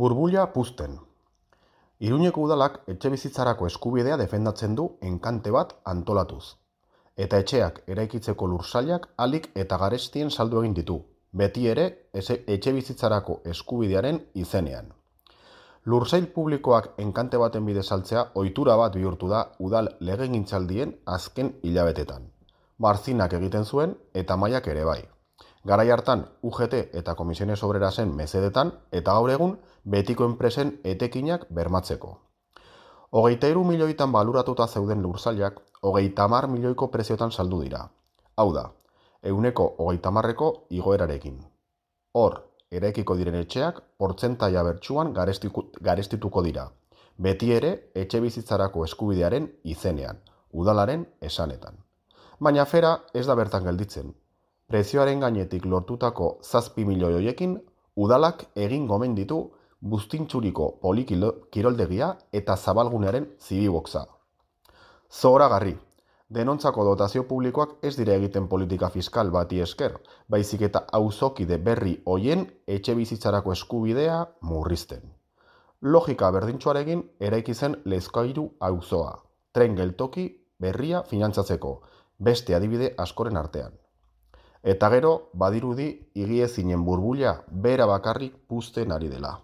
Burbuila puzten. Iruñeko udalak etxebizitzarako eskubidea defendatzen du enkante bat antolatuz. Eta etxeak eraikitzeko lursailak ahalik eta garestien saldu egin ditu, beti ere etxebizitzarako eskubidearen izenean. Lursail publikoak enkante baten bidez saltzea ohitura bat bihurtu da udal legegintzaldien azken hilabetetan. Barzinak egiten zuen eta Maiak ere bai. Garai hartan UGT eta Komisiones Obrerasen mesedetan eta gaur egun betiko enpresen etekinak bermatzeko. 23 milioitan baluratuta zeuden lursailak 30 milioiko preziotan saldu dira. Hau da, 30%ko igoerarekin. Hor, eraikiko diren etxeak portzentaia bertsuan garestituko dira. Beti ere etxebizitzarako eskubidearen izenean, udalaren esanetan. Baina afera ez da bertan gelditzen. Prezioaren gainetik lortutako 7 milioi horiekin, udalak egin gomen ditu Buztintxuriko polikiroldegia eta zabalgunearen zibiboxa. Zoragarri, denontzako dotazio publikoak ez dira egiten politika fiskal bati esker, baizik eta auzokide berri hoien etxebizitzarako eskubidea murrizten. Logika berdintsuarekin eraiki zen Lezkairu auzoa, tren geltoki berria finantzatzeko, beste adibide askoren artean. Eta gero, badirudi, higiezinen burbuila bera bakarrik puzten ari dela.